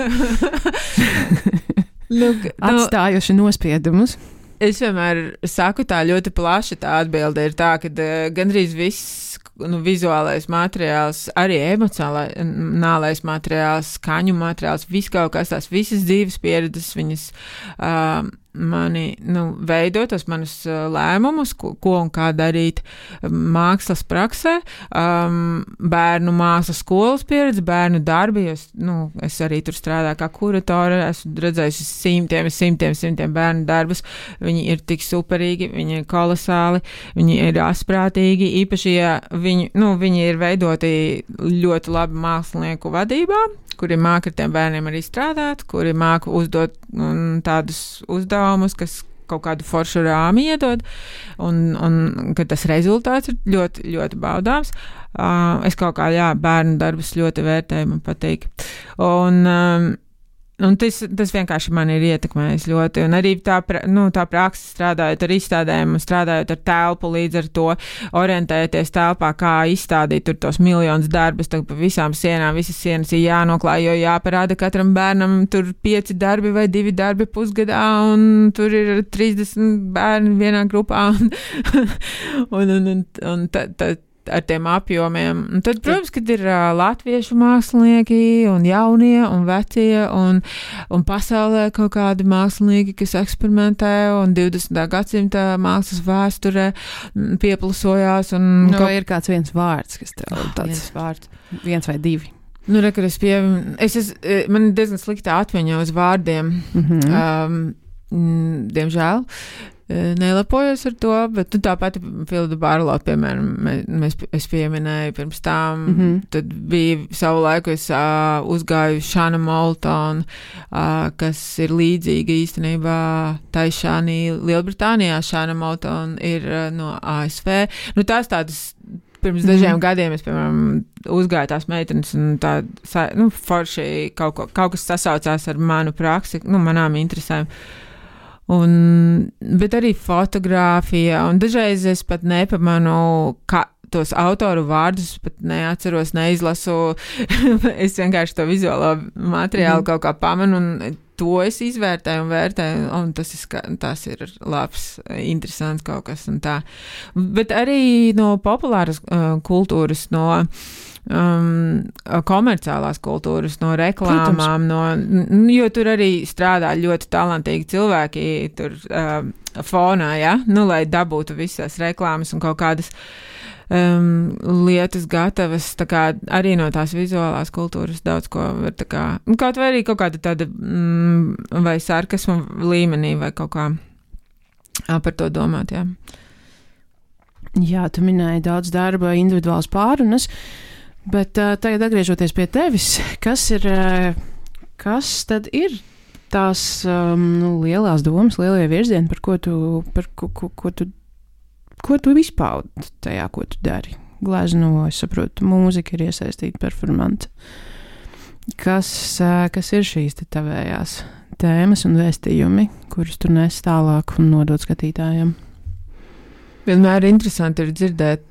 Lūk, atstājuši no, nospiedumus. Es vienmēr saku tā ļoti plaši, tā atbilde ir tā, ka uh, gandrīz viss, nu, vizuālais materiāls, arī emocionālais materiāls, skaņu materiāls, viss kaut kas tās, visas dzīves pieredzes, viņas uh, mani, nu, veido tos manus uh, lēmumus, ko, ko un kā darīt mākslas praksē, um, bērnu mākslas skolas pieredze, bērnu darbi, jo, nu, es arī tur strādāju kā kuratore, esmu redzējusi simtiem, simtiem, simtiem bērnu darbus, viņi ir tik superīgi, viņi ir kolosāli, viņi ir asprātīgi, īpaši, ja viņi, nu, viņi ir veidoti ļoti labi mākslinieku vadībā, kuri māka ar tiem bērniem arī strādāt, kuri māka uzdot um, tādus uzdevumus, kas kaut kādu foršu rāmi iedod, un, un ka tas rezultāts ir ļoti, ļoti baudāms. Uh, es kaut kā, jā, bērnu darbus ļoti vērtēju, man patīk. Un, um, un tas, tas vienkārši man ir ietekmējis ļoti, un arī tā, nu, tā praksa strādājot ar izstādēm, strādājot ar telpu, līdz ar to orientēties telpā, kā izstādīt tur tos miljonus darbus, tā pa visām sienām, visas sienas ir jānoklāj, jo jāparāda katram bērnam tur pieci darbi vai divi darbi pusgadā, un tur ir trīsdesmit bērni vienā grupā, un, un, un, un, un tad, tad ar tiem apjomiem. Un tad, protams, kad ir uh, latviešu mākslinieki un jaunie un vecie un, un pasaulē kaut kādi mākslinieki, kas eksperimentē un divdesmitā gadsimta mākslas vēsturē pieplusojās. Un no, kaut... ir kāds viens vārds, kas tev tāds viens vārds. Viens vai divi. Nu, re, kad es pie... Es, es, man ir diezgan slikta atmiņa uz vārdiem. Mm-hmm. Um, diemžēl. Nelepojos ar to, bet nu, tāpat Filda Barlo, piemēram, mēs, es pieminēju pirms tām, mm-hmm. tad bija savu laiku, es uh, uzgāju Šana Moltonu, uh, kas ir līdzīga īstenībā tai Šanī Lielbritānijā. Šana Moltona ir uh, no A S V. Nu, tās tādas pirms dažiem mm. gadiem es, piemēram, uzgāju tās meitenes un tā, nu, forši kaut, ko, kaut kas sasaucās ar manu praksi, nu, manām interesēm. Un, bet arī fotogrāfija, un dažreiz es pat nepamanu, kā tos autoru vārdus pat neatceros, neizlasu. Es vienkārši to vizuālo materiālu mm. kaut kā pamanu, un to es izvērtēju un vērtēju, un tas ir, tas ir labs, interesants kaut kas un tā. Bet arī no populāras uh, kultūras, no um, komerciālās kultūras, no reklāmām, no, jo tur arī strādā ļoti talantīgi cilvēki tur uh, fonā, ja? Nu, lai dabūtu visas reklāmas un kaut kādas Um, lietas gatavas, tā kā arī no tās vizuālās kultūras daudz ko var tā kā, kaut vai arī kaut kāda tāda mm, vai sarkasma līmenī vai kaut kā par to domāt, jā. Jā, tu minēji daudz darba, individuāls pārunas, bet uh, tagad atgriežoties pie tevis, kas ir, uh, kas tad ir tās um, nu, lielās domas, lielie virzieni, par ko tu, par ko, ko, ko tu Ko tu izpaudi tajā, ko tu dari? Glezno, es saprotu, mūzika ir iesaistīta, performanta. Kas, kas ir šīs te tavējās tēmas un vēstījumi, kurus tu nes tālāk un nodod skatītājiem? Vienmēr interesanti ir dzirdēt,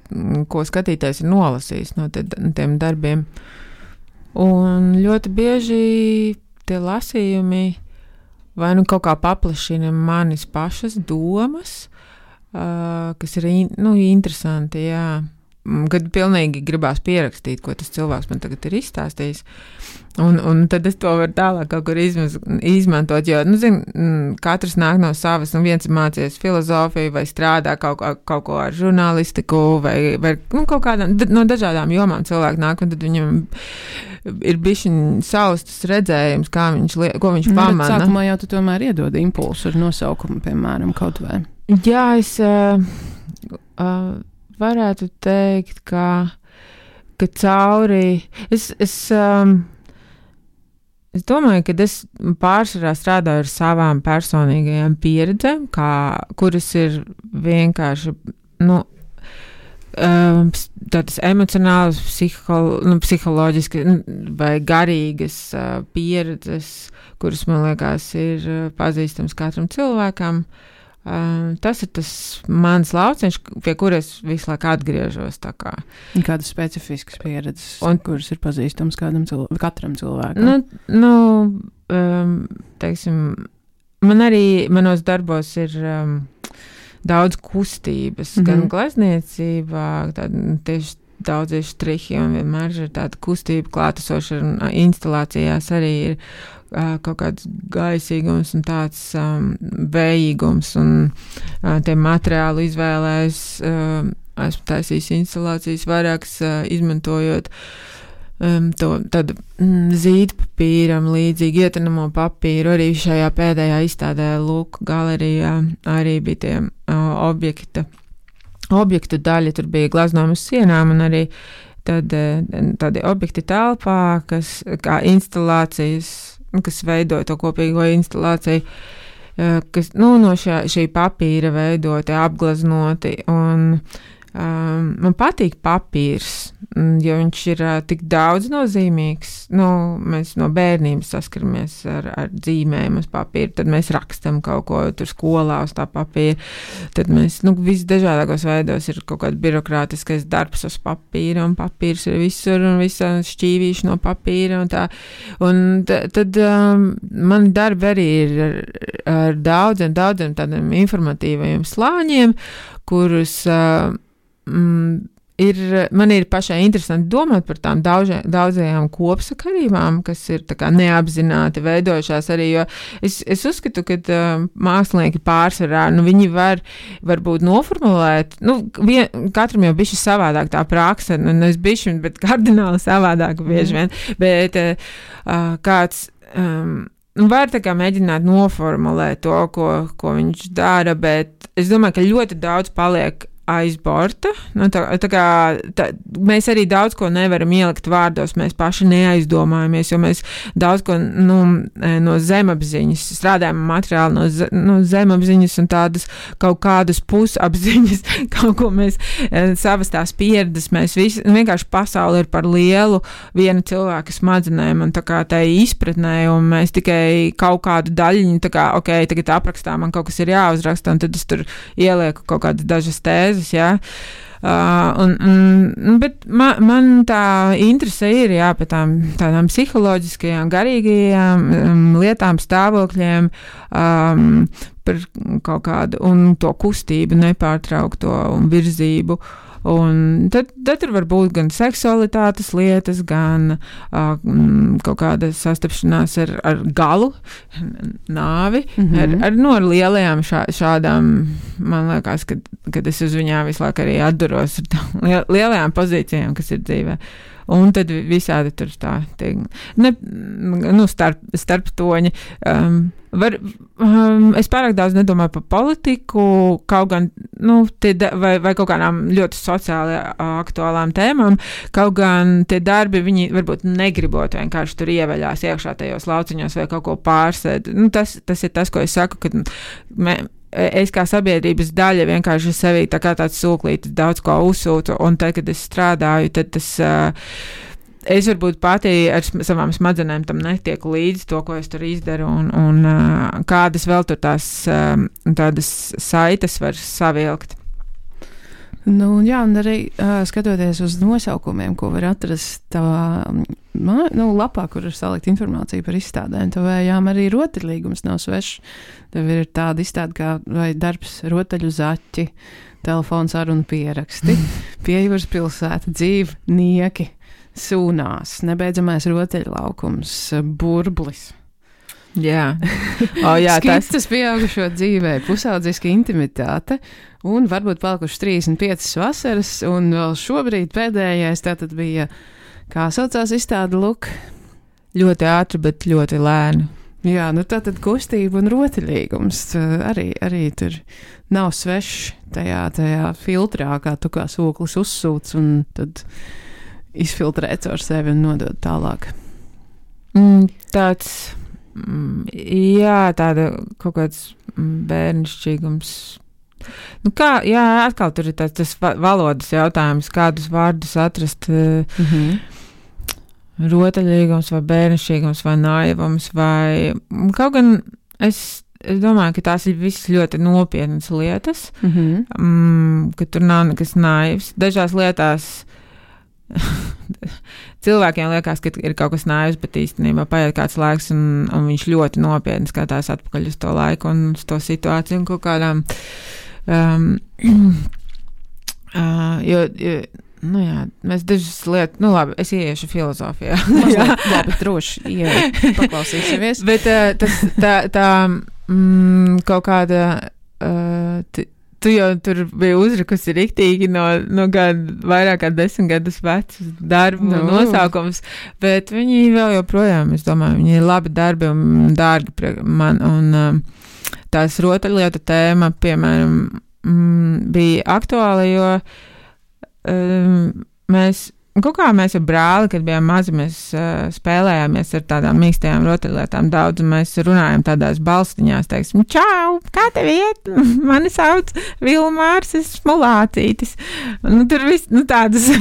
ko skatītājs ir nolasījis no te, tiem darbiem. Un ļoti bieži tie lasījumi vai nu kaut kā paplašina manis pašas domas, Uh, kas ir in, nu, interesanti, jā. Kad pilnīgi gribās pierakstīt, ko tas cilvēks man tagad ir izstāstījis. Un, un tad es to varu tālāk kaut kur izmaz, izmantot, jo, nu, zin, katrs nāk no savas, un viens mācies filozofiju vai strādā kaut, kaut ko ar žurnālistiku vai, vai nu, kaut kādām, no dažādām jomām cilvēki nāk, un tad viņam ir bišķiņ saustas redzējums, kā viņš, ko viņš pamana. Bet sākumā jau tu tomēr iedod impulsu ar nosaukumu, piemēram, kaut vai. Jā, es uh, uh, varētu teikt, ka, ka cauri, es, es, um, es domāju, ka es pārsvarā strādāju ar savām personīgajām pieredzēm, kā, kuras ir vienkārši, nu, um, tādas emocionālas, psiholo, nu, psiholoģiskas vai garīgas uh, pieredzes, kuras, man liekas, ir uh, pazīstams katram cilvēkam. Um, tas ir tas mans lauciņš, pie kuras visu laiku atgriežos. Tā kā. Kādas specifiskas pieredzes, un, kuras ir pazīstamas kādam cilv- katram cilvēkam? Nu, nu um, teiksim, man arī manos darbos ir um, daudz kustības, mm-hmm. gan glezniecībā, tāda tieši daudzie štrihi, un vienmēr ir tāda kustība klātesoša, un instalācijās arī ir uh, kaut kāds gaisīgums un tāds um, vējīgums, un uh, tie materiālu izvēlēs, uh, esmu taisījis instalācijas vairākas, uh, izmantojot um, to tādu mm, zīdpapīram līdzīgi ietinamo papīru, arī šajā pēdējā izstādē Luku galerijā arī bija tie uh, objekta objektu daļa, tur bija glaznojumi uz sienām un arī tad, tādi objekti telpā, kas kā instalācijas, kas veidoja to kopīgo instalāciju, kas, nu, no šā, šī papīra veidoti, apglaznoti, un um, man patīk papīrs, jo viņš ir uh, tik daudz nozīmīgs. Nu, mēs no bērnības saskaramies ar, ar dzīmēm uz papīra, tad mēs rakstam kaut ko tur skolā uz tā papīra, tad mēs, nu, visdažādākos veidos ir kaut kāds birokrātiskais darbs uz papīra, un papīrs ir visur, un visa šķīvīša no papīra, un tā, un t- tad um, mani darbi arī ir ar, ar daudziem, daudziem tādiem informatīvajiem slāņiem, kurus uh, mm, Ir, man ir pašai interesanti domāt par tām daudzie, daudzajām kopsakarībām, kas ir tā kā neapzināti veidojušās arī, jo es, es uzskatu, ka uh, mākslinieki pārsvarā, nu, viņi var varbūt noformulēt, nu, vien, katram jau bišķi savādāk tā praksa, nu, es bišķi, bet kardināli savādāk bieži vien, bet uh, kāds um, var tā kā mēģināt noformulēt to, ko, ko viņš dara, bet es domāju, ka ļoti daudz paliek aiz borta. Nu, tā, tā kā, tā, mēs arī daudz ko nevaram ielikt vārdos, mēs paši neaizdomājamies, jo mēs daudz ko nu, no zemapziņas strādājam materiāli no, ze, no zemapziņas un tādas kaut kādas pusapziņas, kaut ko mēs savas tās pieredzes, mēs visi, vienkārši pasauli ir par lielu viena cilvēka smadzenēm un tā kā tai izpratnē, un mēs tikai kaut kādu daļiņu, tā kā, ok, tagad aprakstā man kaut kas ir jāuzraksta, un tad es tur ielieku kaut kādas dažas tēzes, jā. Uh, un, un, bet man, man tā interese ir, jā, par tām tādām psiholoģiskajām, garīgajām um, lietām, stāvokļiem, um, par kaut kādu, un to kustību, nepārtraukto un virzību. Un tad, tad tur var būt gan seksualitātes lietas, gan uh, kaut kāda sastapšanās ar, ar galu, nāvi, mm-hmm. ar, ar, no, ar lielajām šā, šādām, man liekas, kad, kad es uz viņām visu laiku arī atduros ar tām lielajām pozīcijām, kas ir dzīvē. Un tad visādi tur tā, tie, ne, nu, starp, starp toņi. Um, var, um, es pārāk daudz nedomāju par politiku, kaut gan, nu, tie, vai, vai kaut kādām ļoti sociāli aktuālām tēmām, kaut gan tie darbi, viņi varbūt negribot vienkārši tur ieveļās iekšā tajos lauciņos vai kaut ko pārsēd. Nu, tas, tas ir tas, ko es saku, kad mē, es kā sabiedrības daļa vienkārši sevī tā kā tāds sūklītis daudz ko uzsūtu, un tad, kad es strādāju, tad tas, uh, es varbūt pati ar savām smadzenēm tam netieku līdzi to, ko es tur izdaru, un, un uh, kādas vēl tur tās uh, tādas saites var savilkt. Nu, jā, un arī uh, skatoties uz nosaukumiem, ko var atrast tavā man, nu, lapā, kur ir salikt informācija par izstādēm, tavējām arī rotaļlīgums nav svešs. Tev ir tāda izstāde kā vai darbs rotaļu zaķi, telefons sarunu pieraksti, pie jūras pilsēta, dzīvnieki, sūnās, nebeidzamais rotaļlaukums, burblis. Jā, oh, jā tas ir pieaugušo dzīvē, pusaudžiska intimitāte, un varbūt palikušas trīsdesmit piecas vasaras, un vēl šobrīd pēdējais tātad bija, kā saucās izstāde, Luk? Ļoti ātri, bet ļoti lēni. Jā, nu tātad kustība un rotaļīgums arī, arī tur nav svešs tajā, tajā filtrā, kā tu kā sūklis uzsūc, un tad izfiltrēt ar sevi un nodot tālāk. Mm, tāds... Jā, tāda kaut kāds bērnišķīgums. Nu kā, jā, atkal tur ir tāds tas valodas jautājums, kādus vārdus atrast. Mm-hmm. Rotaļīgums vai bērnišķīgums vai naivums vai kaut gan es, es domāju, ka tās ir visas ļoti nopietnas lietas, mm-hmm. mm, ka tur nav nekas naivs. Dažās lietās cilvēkiem liekas, ka ir kaut kas naivs, bet īstenībā paiet kāds laiks un, un viņš ļoti nopietni skatās atpakaļ uz to laiku un uz to situāciju un kaut kādām um, uh, jo, jo nu jā, mēs dažas lietas, nu labi, es ieiešu filozofijā. Mazliet, labi, droši, ieej, paklausīsimies. Bet uh, tas tā, tā mm, kaut kāda uh, t- tu jau tur biji uzrakusi riktīgi no, no gadu, vairāk kā desmit gadus vecus darbu no. nosaukums, bet viņi vēl joprojām, es domāju, viņi ir labi darbi un dārgi man, un um, tās rotaļlietu tēma, piemēram, mm, bija aktuāla, jo um, mēs kaut kā mēs ar brāli, kad bijām mazi, mēs uh, spēlējāmies ar tādām mīkstajām rotaļlietām daudz, un mēs runājam tādās balstiņās, teiksim, čau, kā tev iet? Mani sauc Vilmārs, es esmu Lācītis. Nu, tur viss, nu, tādas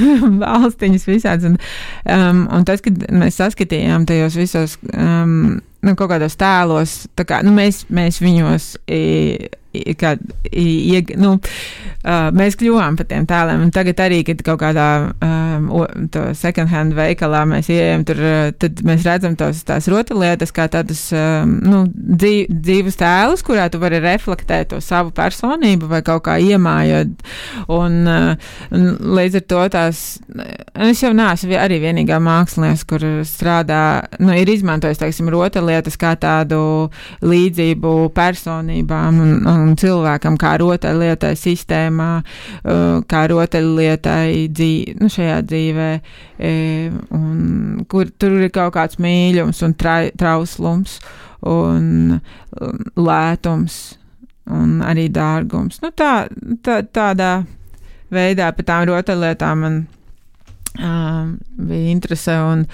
balstiņas visāds, un, um, un tas, kad mēs saskatījām tajos visos, um, nu, kaut kādos tēlos, tā kā, nu, mēs, mēs viņos, i, i, kā, i, i, nu, uh, mēs kļuvām par tiem tēliem, un tagad arī, kad kaut kādā um, o, to second hand veikalā mēs ieejam, tur, tad mēs redzam tos, tās rotaļlietas kā tādus, um, nu, dzīv, dzīvus tēlus, kurā tu vari reflektēt to savu personību vai kaut kā iemājot, un, uh, un līdz ar to tās, es jau neesmu arī vienīgā mākslinieks, kur strādā, nu, ir izmantojis, teiksim, rotaļlietas kā tādu līdzību personībām un, un cilvēkam, kā rotaļlietai sistēmā, kā rotaļlietai dzīve, nu, šajā dzīvē, un kur tur ir kaut kāds mīļums un tra, trauslums un lētums un arī dārgums. Nu, tā, tā, tādā veidā par tām rotaļlietām man um, bija interese un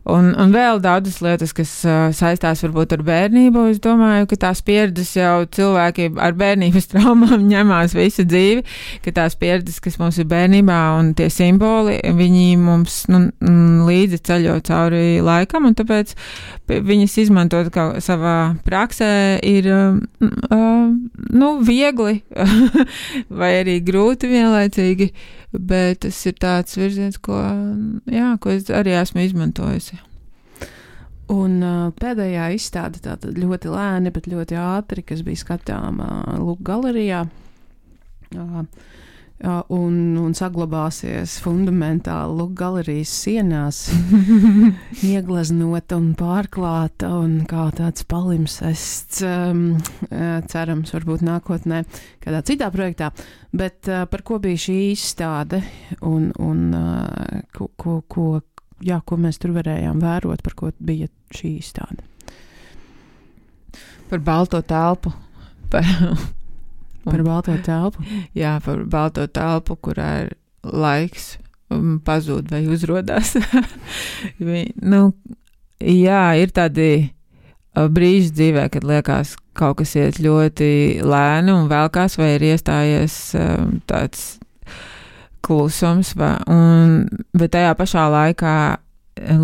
Un, un vēl daudzas lietas, kas uh, saistās varbūt ar bērnību. Es domāju, ka tās pieredzes jau cilvēki ar bērnības traumām ņemās visu dzīvi, ka tās pieredzes, kas mums ir bērnībā un tie simboli, viņi mums nu, līdzi ceļo cauri laikam, un tāpēc viņas izmantot kā savā praksē ir uh, nu, viegli vai arī grūti vienlaicīgi, bet tas ir tāds virziens, ko, jā, ko es arī esmu izmantojusi. Un uh, pēdējā izstāde tātad ļoti lēni, bet ļoti ātri, kas bija skatāma uh, Lūk galerijā, uh, uh, un, un saglabāsies fundamentāli Lūk galerijas sienās, iegleznota un pārklāta un kā tāds palimsests, um, uh, cerams, varbūt nākotnē kādā citā projektā. Bet uh, par ko bija šī izstāde un, un uh, ko, ko, ko, jā, ko mēs tur varējām vērot, par ko bija šī izstāde? Par balto telpu. Par, par balto telpu? Jā, par balto telpu, kurā ir laiks pazūd vai uzrodās. nu, jā, ir tādi brīži dzīvē, kad liekas, kaut kas iet ļoti lēni un velkās, vai ir iestājies um, tāds klusums, vai, un, bet tajā pašā laikā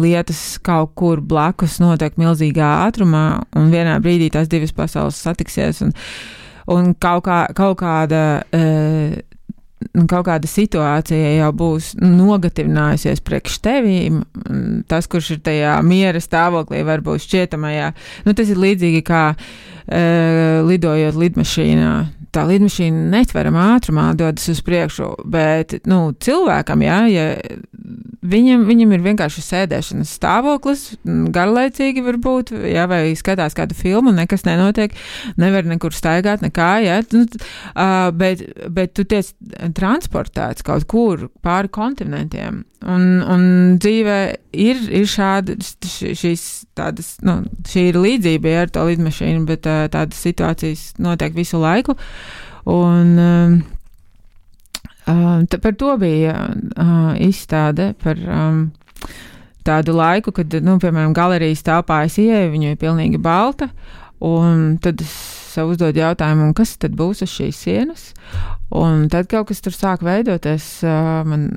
lietas kaut kur blakus notiek milzīgā ātrumā, un vienā brīdī tās divas pasaules satiksies, un, un kaut, kā, kaut kāda uh, kaut kāda situācija jau būs nogatavinājusies priekš tevīm, tas, kurš ir tajā miera stāvoklī, varbūt šķietamajā. Nu, tas ir līdzīgi kā uh, lidojot lidmašīnā. Tā lidmašīna netveramā ātrumā dodas uz priekšu, bet, nu, cilvēkam, jā, ja viņam, viņam ir vienkārši sēdēšanas stāvoklis, garlaicīgi varbūt, jā, vai skatās kādu filmu, nekas nenotiek, nevar nekur staigāt, nekā, jā, nu, uh, bet, bet tu tiec transportēts kaut kur pāri kontinentiem, un, un dzīvē ir, ir šāda, šīs tādas, nu, šī ir līdzība ar to lidmašīnu, bet uh, tādas situācijas notiek visu laiku. Un uh, uh, par to bija uh, izstāde par um, tādu laiku, kad, nu, piemēram, galerijas telpā es ieeju, viņa ir pilnīgi balta, un tad es sev uzdod jautājumu, kas tad būs uz šīs sienas, un tad kaut kas tur sāk veidoties, uh, man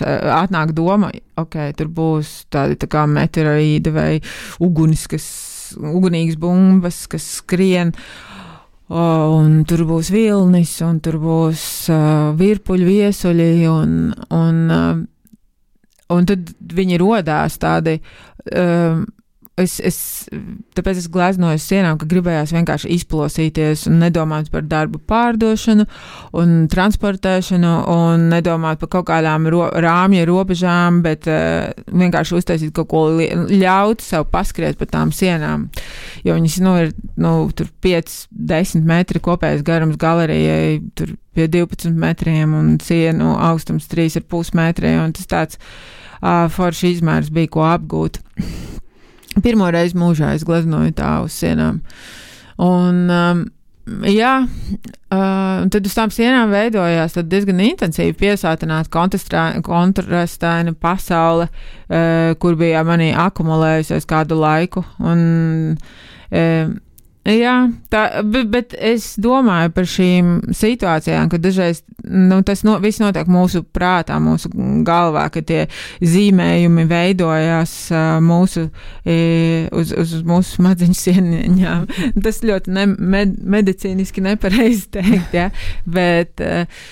atnāk doma, ok, tur būs tādi tā kā meteorīdi vai ugunis, kas, ugunīgas bumbas, kas skrien, Oh, un tur būs vilnis, un tur būs uh, virpuļu viesuļi, un, un, uh, un tad viņi rodās tādi, uh, es, es, tāpēc es gleznoju sienām, ka gribējās vienkārši izplosīties un nedomāt par darbu pārdošanu un transportēšanu un nedomāt par kaut kādām ro, rāmja robežām, bet uh, vienkārši uztaisīt kaut ko, ļaut sev paskriet pa tām sienām. Jo viņas, nu, ir, nu, tur pieci, desmit metri kopējais garums galerijai, tur pie divpadsmit metriem un sienu augstums trīs ar pus metri, un tas tāds uh, forši izmērs bija, ko apgūt. Pirmo reizi mūžā es gleznoju tā uz sienām. Un, um, jā, uh, tad uz tām sienām veidojās tad diezgan intensīvi piesātināta kontrastaina pasaule, uh, kur bija manī akumulējusies kādu laiku. Un, uh, jā, tā, bet, bet es domāju par šīm situācijām, ka dažreiz, nu, tas no, viss notiek mūsu prātā, mūsu galvā, ka tie zīmējumi veidojās uh, mūsu, e, uz, uz mūsu smadzeņu sieniņām. Tas ļoti ne, med, medicīniski nepareizi teikt, ja, bet uh,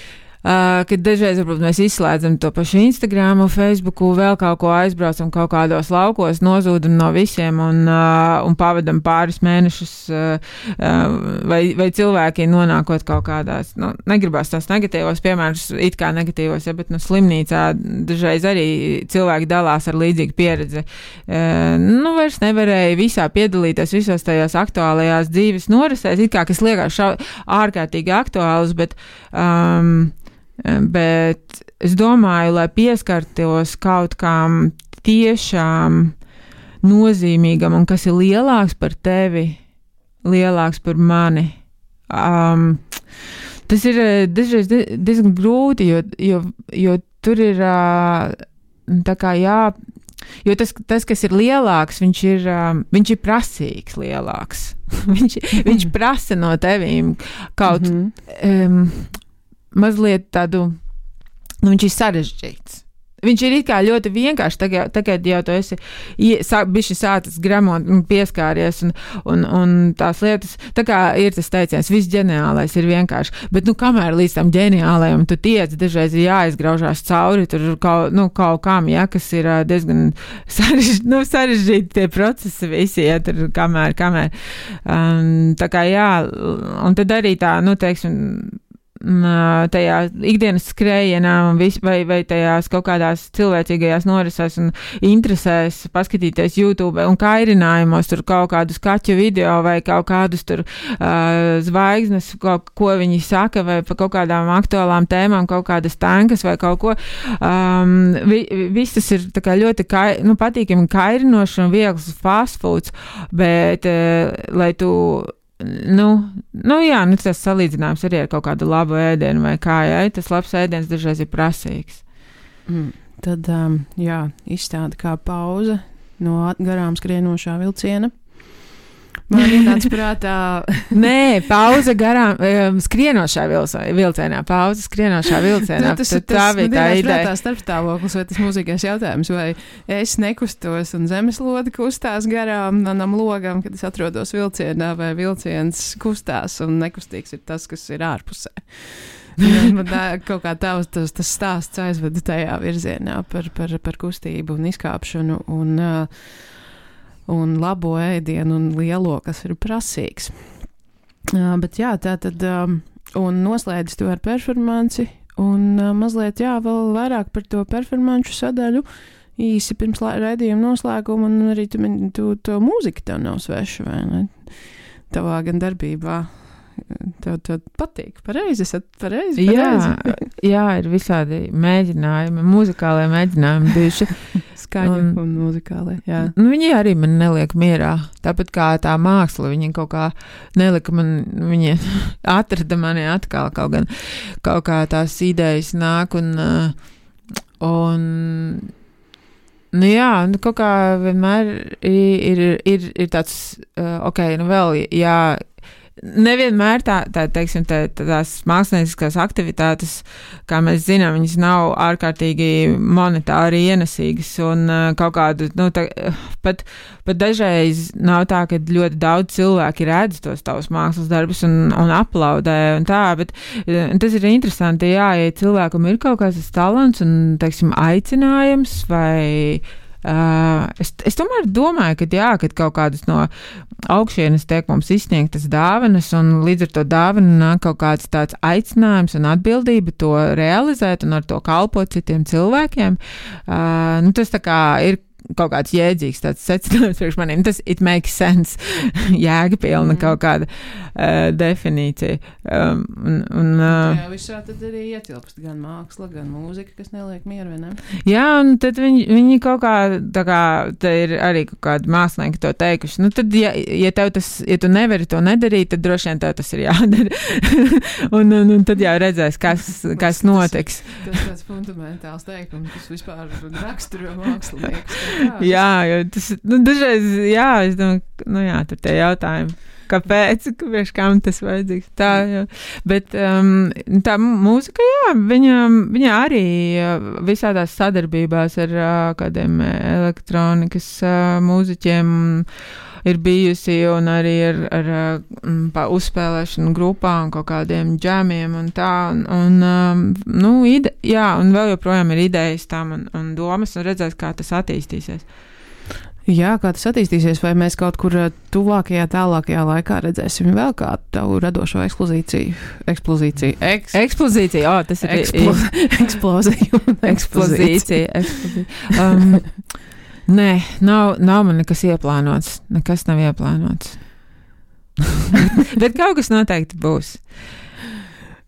Uh, kad dažreiz, varbūt, mēs izslēdzam to pašu Instagramu, Facebooku, vēl kaut ko aizbraucam kaut kādos laukos, nozūdam no visiem un, uh, un pavadam pāris mēnešus, uh, uh, vai, vai cilvēki nonākot kaut kādās, nu, negribās tās negatīvos piemērus, it kā negatīvos, ja, bet, nu, slimnīcā dažreiz arī cilvēki dalās ar līdzīgu pieredzi. Uh, nu, vairs nevarēja visā piedalīties, visos tajās aktuālajās dzīves norisēs, it kā, kas liekas šau, ārkārtīgi aktuāls, bet um, bet es domāju, lai pieskartos kaut kam tiešām nozīmīgam un kas ir lielāks par tevi, lielāks par mani. Um, tas ir dažreiz diezgan grūti, jo, jo, jo tur ir tā kā jā, jo tas, tas, kas ir lielāks, viņš ir, viņš ir prasīgs lielāks. viņš, viņš prasa no tevīm kaut mm-hmm. um, mazliet tādu, nu viņš ir sarežģīts. Viņš ir it kā ļoti vienkārši, tagad, tagad jau tu esi bišķi sācis gremot un pieskāries un, un, un tās lietas, tā kā ir tas teiciens, viss ģeniālais ir vienkārši, bet nu kamēr līdz tam ģeniālajam tu tiec, dažreiz ir jāizgraužās cauri, tur kaut, nu, kaut kam, ja, kas ir diezgan sarežģīti, nu, sarežģīti tie procesi visi, ja, tur kamēr, kamēr. Um, tā kā jā, un tad arī tā, nu, teiksim, tajā ikdienas skrējienā vai, vai tajās kaut kādās cilvēcīgajās norisēs un interesēs paskatīties YouTube un kairinājumos tur kaut kādus kaķu video vai kaut kādus tur uh, zvaigznes, kaut, ko viņi saka vai par kaut kādām aktuālām tēmām, kaut kādas tankas vai kaut ko. Um, vi, viss tas ir tā kā ļoti kai, nu, patīkami kairinoši un viegls fast foods, bet uh, lai tu Nu, nu jā, nu tas salīdzinājums arī ar kaut kādu labu ēdienu vai kā, jā, tas labs ēdiens dažreiz ir prasīgs. Mm, tad, um, jā, izstāda kā pauze no garām skrienošā vilciena. Man ir tāds prātā. Nē, pauze garām, um, skrienošā vilcienā, pauze skrienošā vilcienā. Nu, tas ir tas, man ir prātā starpstāvoklis vai tas mūzīgais jautājums, vai es nekustos un zemeslode kustās garām manam logam, kad es atrodos vilcienā, vai vilciens kustās un nekustīgs ir tas, kas ir ārpusē. Man tā, kaut kā tavs tas, tas stāsts aizveda tajā virzienā par, par, par kustību un izkāpšanu un uh, un labo ēdienu un lielo, kas ir prasīgs. Uh, bet jā, tā tad, um, un noslēdz to ar performanci, un uh, mazliet, jā, vēl vairāk par to performanču sadaļu, īsi pirms raidījuma noslēguma, un arī tu, tu, to mūzika tev nav sveša, vai ne? Tavā gan darbībā. Tev, tev patīk, pareizi, esat pareizi, pareizi. Jā, jā, ir visādi mēģinājumi, muzikālie mēģinājumi bijuši. Skaņa un, un muzikālie, jā. Nu, viņi arī man neliek mierā, tāpat kā tā māksla, viņi kaut kā nelika man, viņi atrada mani atkal, kaut gan kaut kā tās idejas nāk un, un nu jā, nu kaut kā vienmēr ir, ir, ir, ir tāds, ok, nu vēl, jā, nevienmēr tā, tā teiksim, tā, tās mākslinieckās aktivitātes, kā mēs zinām, viņas nav ārkārtīgi monetāri ienesīgas un uh, kaut kādu, nu, tā, pat, pat dažreiz nav tā, ka ļoti daudz cilvēki redz tos tavus mākslas darbus un, un aplaudē un tā, bet uh, tas ir interesanti, jā, ja cilvēkam ir kaut kāds talants un, teiksim, aicinājums vai Uh, es, es tomēr domāju, ka jā, kad kaut kādas no augšienes tiek mums izsniegtas dāvanas un līdz ar to dāvanu nāk kaut kāds tāds aicinājums un atbildība to realizēt un ar to kalpot citiem cilvēkiem. Uh, nu, tas tā kā ir kaut kāds jēdzīgs tāds secinājums priekš maniem. Tas it makes sense. Jēgapilna mm. kaut kāda uh, definīcija. Um, un, un, uh, jā, visā tad arī ietilpst gan māksla, gan mūzika, kas neliek mieru, vai ne? Jā, un tad viņi, viņi kaut kā, tā kā, te ir arī kaut kādi mākslinieki to teikuši. Nu, tad, ja, ja tev tas, ja tu nevari to nedarīt, tad droši vien tev tas ir jādara. un, un, un tad jau redzēs, kas, kas notiks. Tas, tas tāds fundamentāls teikums, kas vispār raksturo māksliniekus. Jā, jā, jo tas, nu, dažreiz, jā, es domāju, nu jā, tur tie jautājumi, kāpēc, kāpēc, kam tas vajadzīgs, tā, jā. Bet um, tā mūzika, jā, viņa, viņa arī visādās sadarbībās ar uh, kādiem elektronikas uh, mūziķiem ir bijusi un arī ar, ar, ar uzspēlēšanu grupā un kaut kādiem džemiem un tā, un, un um, nu, ide, jā, un vēl joprojām ir idejas tam un, un domas, un redzēs, kā tas attīstīsies. Jā, kā tas attīstīsies, vai mēs kaut kur tuvākajā, tālākajā laikā redzēsim vēl kādu tavu radošo eksplozīciju, eksplozīciju, eks... eksplozīciju, o, tas ir Eksplo... eksploziju, eksplozīcija, eksplozīcija. Um, nē, nav, nav man nekas ieplānots, nekas nav ieplānots. Bet kaut kas noteikti būs.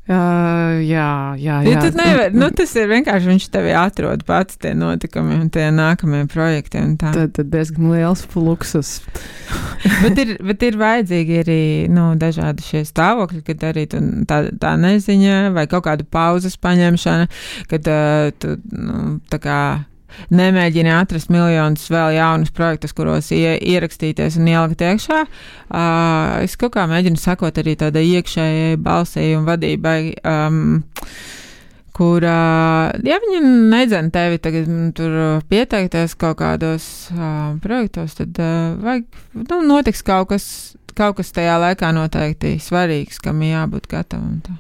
Uh, jā, jā, jā. Ja nevar, nu, tas ir vienkārši, viņš tevi atrod pats tie notikumi un tie nākamie projekti un tā. Tad, tad diezgan liels fluksus. bet, ir, bet ir vajadzīgi arī, nu, dažādi šie stāvokļi, kad arī tu, tā, tā neziņa vai kaut kāda pauzes paņemšana, kad uh, tu, nu, tā kā nemēģini atrast miljonus vēl jaunus projektus, kuros ie, ierakstīties un ielikt iekšā. Uh, es kaut kā mēģinu sakot arī tādai iekšējai balsī un vadībai, um, kur, uh, ja viņi nedzen tevi tagad tur pieteikties kaut kādos uh, projektos, tad uh, vajag, nu, notiks kaut kas, kaut kas tajā laikā noteikti svarīgs, kam jābūt gatavam. Tā.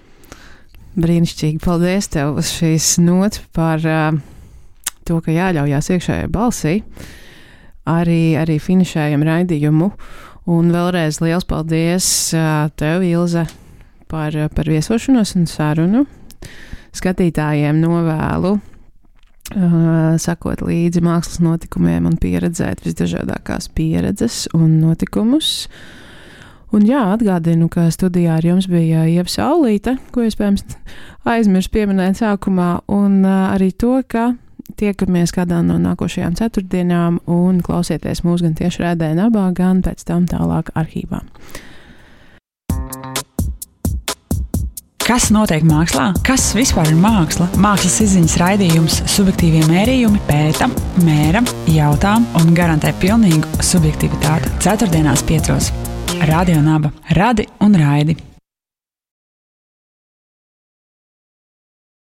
Brīnišķīgi, paldies tev uz šīs nots par uh, to, ka jāļaujās iekšējai balsī, arī, arī finišējam raidījumu. Un vēlreiz liels paldies uh, tev, Ilze, par, par viesošanos un sarunu. Skatītājiem novēlu uh, sakot līdzi mākslas notikumiem un pieredzēt visdažādākās pieredzes un notikumus. Un jā, atgādinu, ka studijā ar jums bija Ieva Saulīte, ko iespējams aizmirst pieminēt sākumā, un uh, arī to, ka tiekamies kādā no nākošajām ceturtdienām un klausieties mūs gan tieši rādē nabā, gan pēc tam tālāk arhīvā. Kas notiek mākslā? Kas vispār ir māksla? Mākslas izziņas raidījums Subjektīvie mērījumi pēta, mēra, jautā un garantē pilnīgu subjektivitāti. Ceturtdienās piecos. Radio Naba. Radi un raidi.